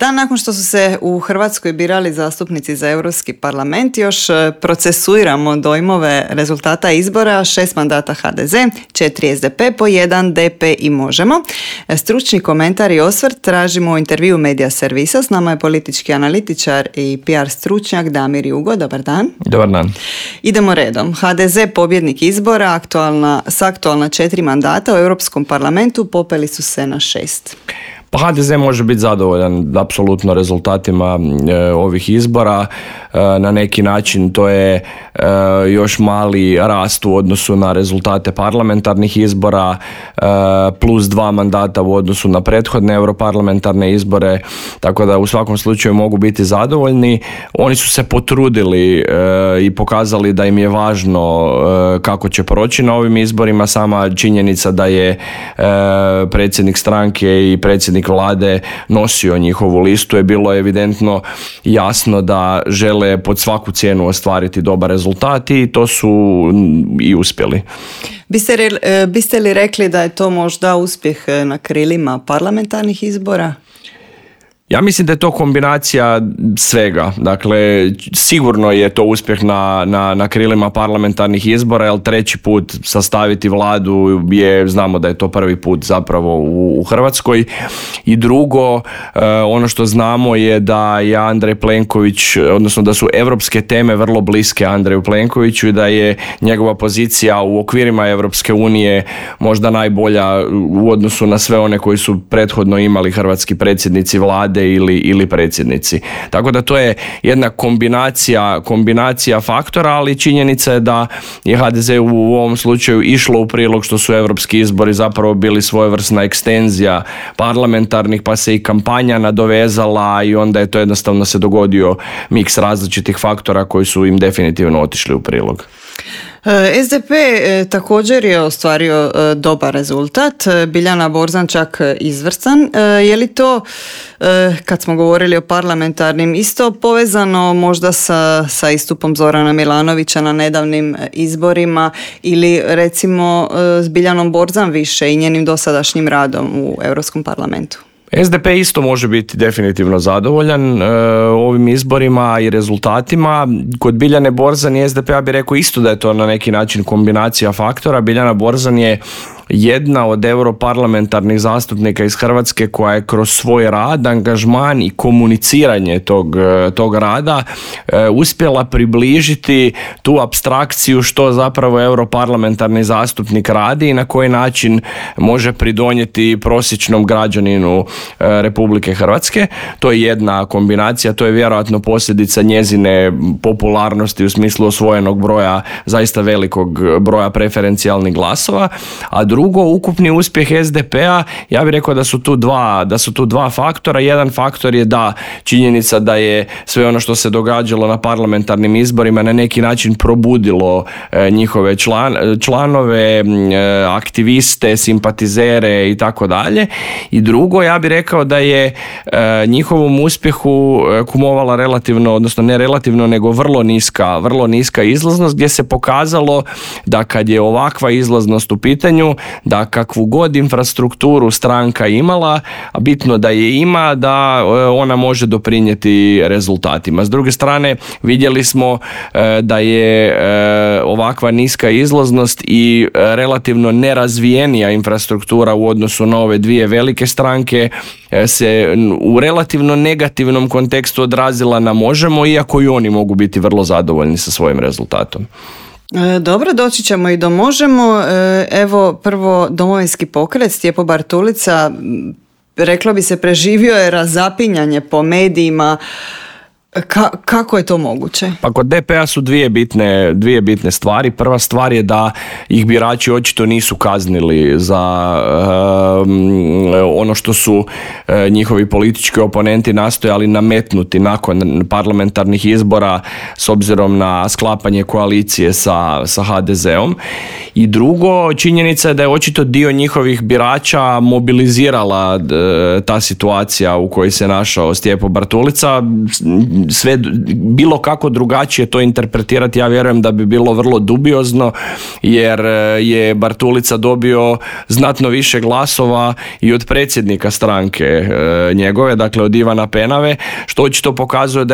Dan nakon što su se u Hrvatskoj birali zastupnici za Europski parlament, još procesuiramo dojmove rezultata izbora: 6 mandata HDZ, 4 SDP, po 1 DP i Možemo. Stručni komentar i osvrt tražimo u intervju Medija Servisa. S nama je politički analitičar i PR stručnjak Damir Jugo. Dobar dan. Dobar dan. Idemo redom. HDZ, pobjednik izbora, aktualna 4 mandata u Europskom parlamentu, popeli su se na 6. Pa HDZ može biti zadovoljan apsolutno rezultatima ovih izbora. Na neki način to je još mali rast u odnosu na rezultate parlamentarnih izbora, plus 2 mandata u odnosu na prethodne europarlamentarne izbore, tako da u svakom slučaju mogu biti zadovoljni. Oni su se potrudili i pokazali da im je važno kako će proći na ovim izborima. Sama činjenica da je predsjednik stranke i predsjednik vlade nosio njihovu listu je bilo evidentno jasno da žele pod svaku cijenu ostvariti dobar rezultat i to su i uspjeli. Biste li rekli da je to možda uspjeh na krilima parlamentarnih izbora? Ja mislim da je to kombinacija svega. Dakle, sigurno je to uspjeh na krilima parlamentarnih izbora, jer treći put sastaviti vladu znamo da je to prvi put zapravo u Hrvatskoj. I drugo, ono što znamo je da je Andrej Plenković, odnosno da su europske teme vrlo bliske Andreju Plenkoviću i da je njegova pozicija u okvirima Europske unije možda najbolja u odnosu na sve one koji su prethodno imali hrvatski predsjednici vlade ili predsjednici. Tako da to je jedna kombinacija faktora, ali činjenica je da je HDZ u ovom slučaju išlo u prilog što su europski izbori zapravo bili svojevrsna ekstenzija parlamentarnih, pa se i kampanja nadovezala i onda je to jednostavno se dogodio miks različitih faktora koji su im definitivno otišli u prilog. SDP također je ostvario dobar rezultat, Biljana Borzan čak izvrstan. Je li to, kad smo govorili o parlamentarnim, isto povezano možda sa istupom Zorana Milanovića na nedavnim izborima ili recimo s Biljanom Borzan više i njenim dosadašnjim radom u Europskom parlamentu? SDP isto može biti definitivno zadovoljan ovim izborima i rezultatima. Kod Biljane Borzan i SDP-a bi rekao isto da je to na neki način kombinacija faktora. Biljana Borzan je jedna od europarlamentarnih zastupnika iz Hrvatske koja je kroz svoj rad, angažman i komuniciranje tog rada uspjela približiti tu apstrakciju što zapravo europarlamentarni zastupnik radi i na koji način može pridonijeti prosječnom građaninu Republike Hrvatske. To je jedna kombinacija, to je vjerojatno posljedica njezine popularnosti u smislu osvojenog broja, zaista velikog broja preferencijalnih glasova, a drugo, ukupni uspjeh SDP-a, ja bih rekao da su tu dva faktora. Jedan faktor je da činjenica da je sve ono što se događalo na parlamentarnim izborima na neki način probudilo njihove članove, aktiviste, simpatizere i tako dalje. I drugo, ja bih rekao da je njihovom uspjehu kumovala relativno, odnosno ne relativno, nego vrlo niska izlaznost, gdje se pokazalo da kad je ovakva izlaznost u pitanju, da kakvu god infrastrukturu stranka imala, a bitno da je ima, da ona može doprinijeti rezultatima. S druge strane, vidjeli smo da je ovakva niska izlaznost i relativno nerazvijenija infrastruktura u odnosu na ove dvije velike stranke se u relativno negativnom kontekstu odrazila na Možemo, iako i oni mogu biti vrlo zadovoljni sa svojim rezultatom. Dobro, doći ćemo i do Možemo. Evo, prvo Domovinski pokret, Stjepo Bartulica, reklo bi se, preživio je razapinjanje po medijima. Kako je to moguće? Pa kod DP-a su dvije bitne stvari. Prva stvar je da ih birači očito nisu kaznili za ono što su njihovi politički oponenti nastojali nametnuti nakon parlamentarnih izbora s obzirom na sklapanje koalicije sa HDZ-om. I drugo, činjenica je da je očito dio njihovih birača mobilizirala ta situacija u kojoj se našao Stjepo Bartulica. sve bilo kako drugačije to interpretirati, ja vjerujem da bi bilo vrlo dubiozno, jer je Bartulica dobio znatno više glasova i od predsjednika stranke njegove, dakle od Ivana Penave, što očito pokazuje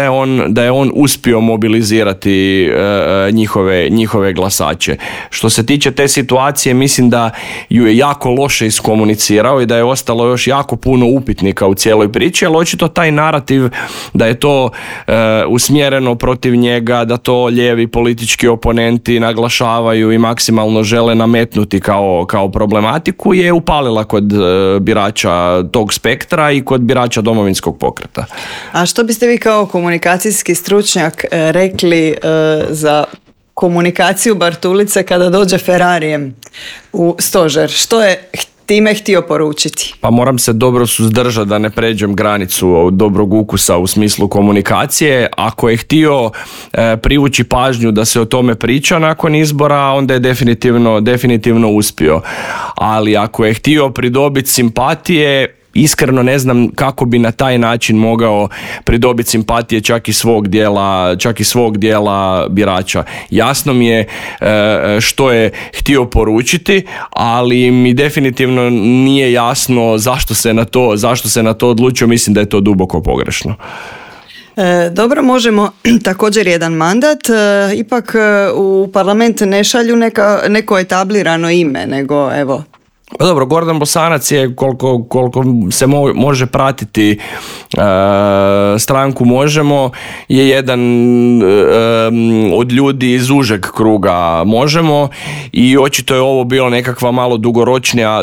da je on uspio mobilizirati njihove glasače. Što se tiče te situacije, mislim da ju je jako loše iskomunicirao i da je ostalo još jako puno upitnika u cijeloj priči, ali očito taj narativ da je to usmjereno protiv njega, da to lijevi politički oponenti naglašavaju i maksimalno žele nametnuti kao problematiku, je upalila kod birača tog spektra i kod birača Domovinskog pokreta. A što biste vi kao komunikacijski stručnjak rekli za komunikaciju Bartulice kada dođe Ferrarijem u stožer? Što je time htio poručiti? Pa moram se dobro suzdržati da ne pređem granicu dobrog ukusa u smislu komunikacije. Ako je htio privući pažnju da se o tome priča nakon izbora, onda je definitivno uspio. Ali ako je htio pridobiti simpatije, iskreno ne znam kako bi na taj način mogao pridobiti simpatije čak i svog dijela birača. Jasno mi je što je htio poručiti, ali mi definitivno nije jasno zašto se na to odlučio. Mislim da je to duboko pogrešno. Dobro, možemo također jedan mandat, ipak u parlament ne šalju neko etablirano ime, nego evo. Pa dobro, Gordan Bosanac je, koliko se može pratiti stranku Možemo, je jedan od ljudi iz užeg kruga Možemo i očito je ovo bilo nekakva malo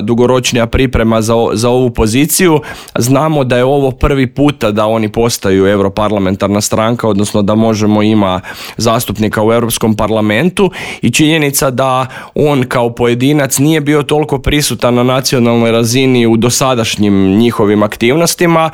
dugoročnija priprema za ovu poziciju. Znamo da je ovo prvi puta da oni postaju europarlamentarna stranka, odnosno da Možemo ima zastupnika u Europskom parlamentu, i činjenica da on kao pojedinac nije bio toliko prisutan na nacionalnoj razini u dosadašnjim njihovim aktivnostima,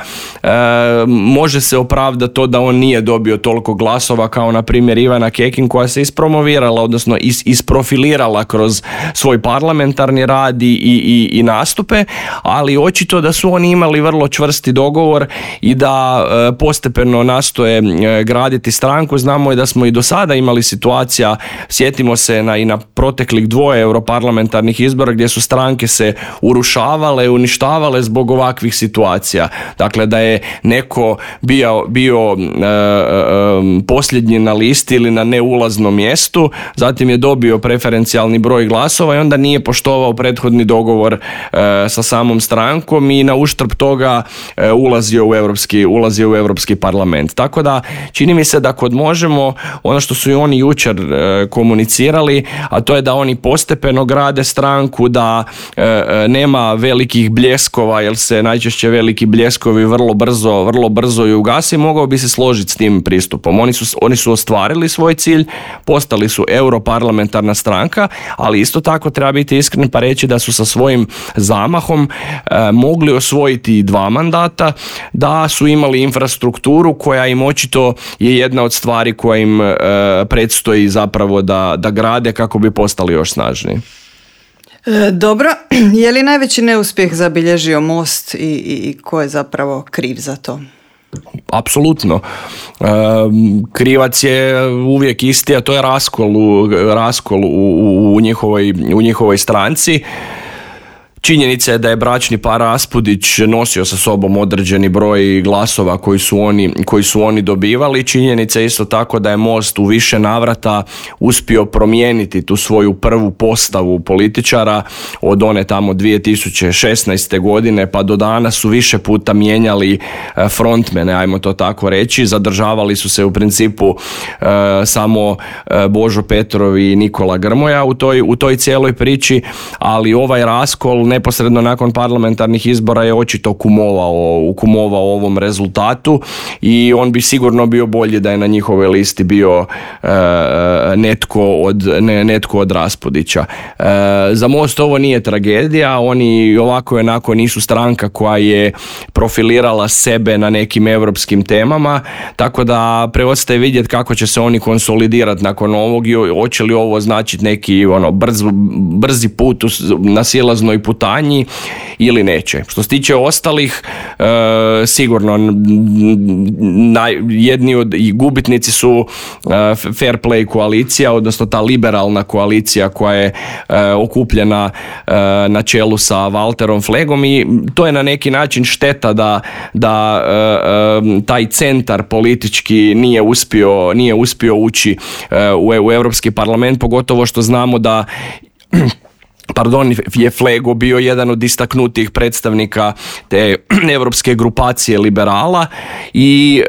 može se opravdati to da on nije dobio toliko glasova kao na primjer Ivana Kekin, koja se ispromovirala, odnosno isprofilirala kroz svoj parlamentarni rad i nastupe, ali očito da su oni imali vrlo čvrsti dogovor i da postepeno nastoje graditi stranku. Znamo i da smo i do sada imali situacija, sjetimo se i na proteklih 2 europarlamentarnih izbora gdje su stranke se urušavale, uništavale zbog ovakvih situacija. Dakle, da je neko bio posljednji na listi ili na neulaznom mjestu, zatim je dobio preferencijalni broj glasova i onda nije poštovao prethodni dogovor sa samom strankom i na uštrb toga ulazio u Europski parlament. Tako da čini mi se da kod Možemo, ono što su i oni jučer komunicirali, a to je da oni postepeno grade stranku, da nema velikih bljeskova, jer se najčešće veliki bljeskovi vrlo brzo i ugasi. Mogao bi se složiti s tim pristupom. Oni su ostvarili svoj cilj, postali su europarlamentarna stranka, ali isto tako treba biti iskren pa reći da su sa svojim zamahom mogli osvojiti 2 mandata, da su imali infrastrukturu koja im očito je jedna od stvari koja im predstoji zapravo da grade kako bi postali još snažniji. Dobro, je li najveći neuspjeh zabilježio Most i ko je zapravo kriv za to? Apsolutno. Krivac je uvijek isti, a to je raskol u njihovoj stranci. Činjenica je da je bračni par Raspudić nosio sa sobom određeni broj glasova koji su oni dobivali. Činjenica je isto tako da je Most u više navrata uspio promijeniti tu svoju prvu postavu političara od one tamo 2016. godine pa do danas su više puta mijenjali frontmene, ajmo to tako reći. Zadržavali su se u principu samo Božo Petrov i Nikola Grmoja u toj cijeloj priči, ali ovaj raskol neposredno nakon parlamentarnih izbora je očito kumovao ovom rezultatu i on bi sigurno bio bolji da je na njihovoj listi bio netko od Raspudića. Za Most ovo nije tragedija, oni ovako i onako nisu stranka koja je profilirala sebe na nekim europskim temama, tako da preostaje vidjeti kako će se oni konsolidirati nakon ovog i hoće li ovo značiti neki brzi put na silaznoj putanji putanji ili neće. Što se tiče ostalih, sigurno jedni od gubitnici su Fair Play koalicija, odnosno ta liberalna koalicija koja je okupljena na čelu sa Walterom Flegom, i to je na neki način šteta da taj centar politički nije uspio ući u Europski parlament, pogotovo što znamo da je Flego bio jedan od istaknutih predstavnika te europske grupacije liberala i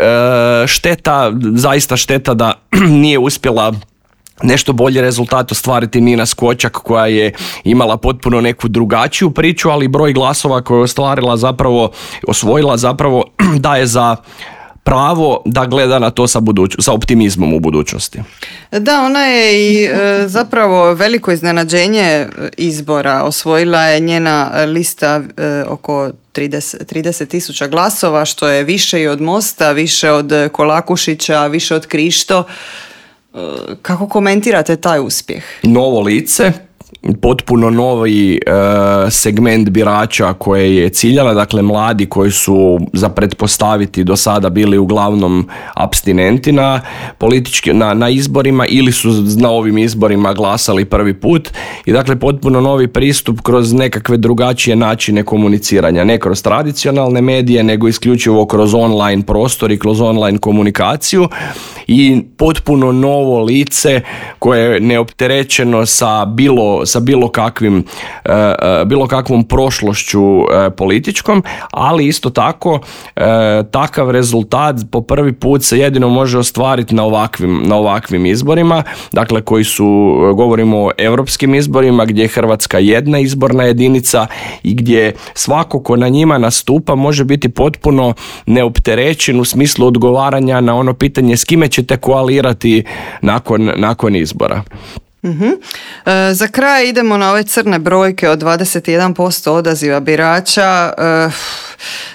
zaista šteta da nije uspjela nešto bolji rezultat ostvariti Nina Skočak, koja je imala potpuno neku drugačiju priču, ali broj glasova koje je osvojila zapravo daje za pravo da gleda na to sa optimizmom u budućnosti. Da, ona je i zapravo veliko iznenađenje izbora. Osvojila je njena lista oko 30.000 glasova, što je više i od Mosta, više od Kolakušića, više od Krišto. Kako komentirate taj uspjeh? Novo lice, potpuno novi segment birača koje je ciljala, dakle mladi koji su za pretpostaviti do sada bili uglavnom apstinenti na izborima ili su na ovim izborima glasali prvi put, i dakle potpuno novi pristup kroz nekakve drugačije načine komuniciranja, ne kroz tradicionalne medije bilo isključivo kroz online prostor i kroz online komunikaciju, i potpuno novo lice koje je neopterećeno sa bilo kakvom prošlošću političkom, ali isto tako takav rezultat po prvi put se jedino može ostvariti na ovakvim izborima, dakle govorimo o europskim izborima gdje je Hrvatska jedna izborna jedinica i gdje svako ko na njima nastupa može biti potpuno neopterećen u smislu odgovaranja na ono pitanje s kime ćete koalirati nakon izbora. Za kraj idemo na ove crne brojke od 21% odaziva birača.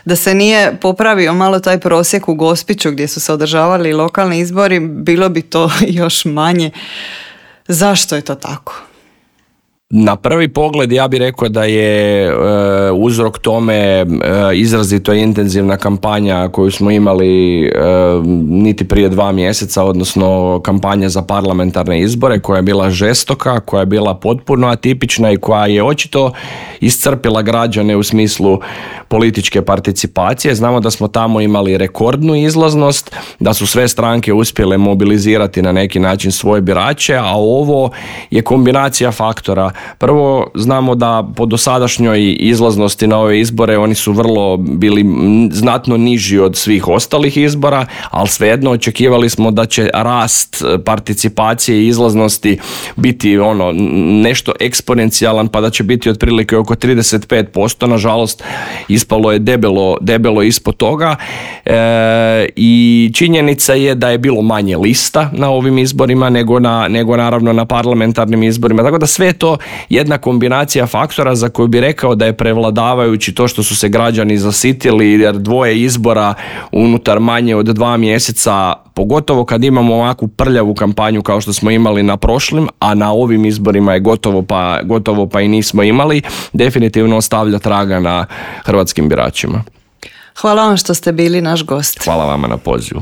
Da se nije popravio malo taj prosjek u Gospiću gdje su se održavali lokalni izbori, bilo bi to još manje. Zašto je to tako? Na prvi pogled ja bih rekao da je uzrok tome izrazito intenzivna kampanja koju smo imali niti prije 2 mjeseca, odnosno kampanja za parlamentarne izbore koja je bila žestoka, koja je bila potpuno atipična i koja je očito iscrpila građane u smislu političke participacije. Znamo da smo tamo imali rekordnu izlaznost, da su sve stranke uspjele mobilizirati na neki način svoje birače, a ovo je kombinacija faktora. Prvo, znamo da po dosadašnjoj izlaznosti na ove izbore oni su bili znatno niži od svih ostalih izbora, ali svejedno očekivali smo da će rast participacije i izlaznosti biti nešto eksponencijalan, pa da će biti otprilike oko 35%. Nažalost, ispalo je debelo ispod toga, i činjenica je da je bilo manje lista na ovim izborima nego naravno na parlamentarnim izborima. Tako da sve to jedna kombinacija faktora za koju bi rekao da je prevladavajući to što su se građani zasitili, jer 2 izbora unutar manje od 2 mjeseca, pogotovo kad imamo ovakvu prljavu kampanju kao što smo imali na prošlim, a na ovim izborima je gotovo pa i nismo imali, definitivno ostavlja traga na hrvatskim biračima. Hvala vam što ste bili naš gost. Hvala vama na pozivu.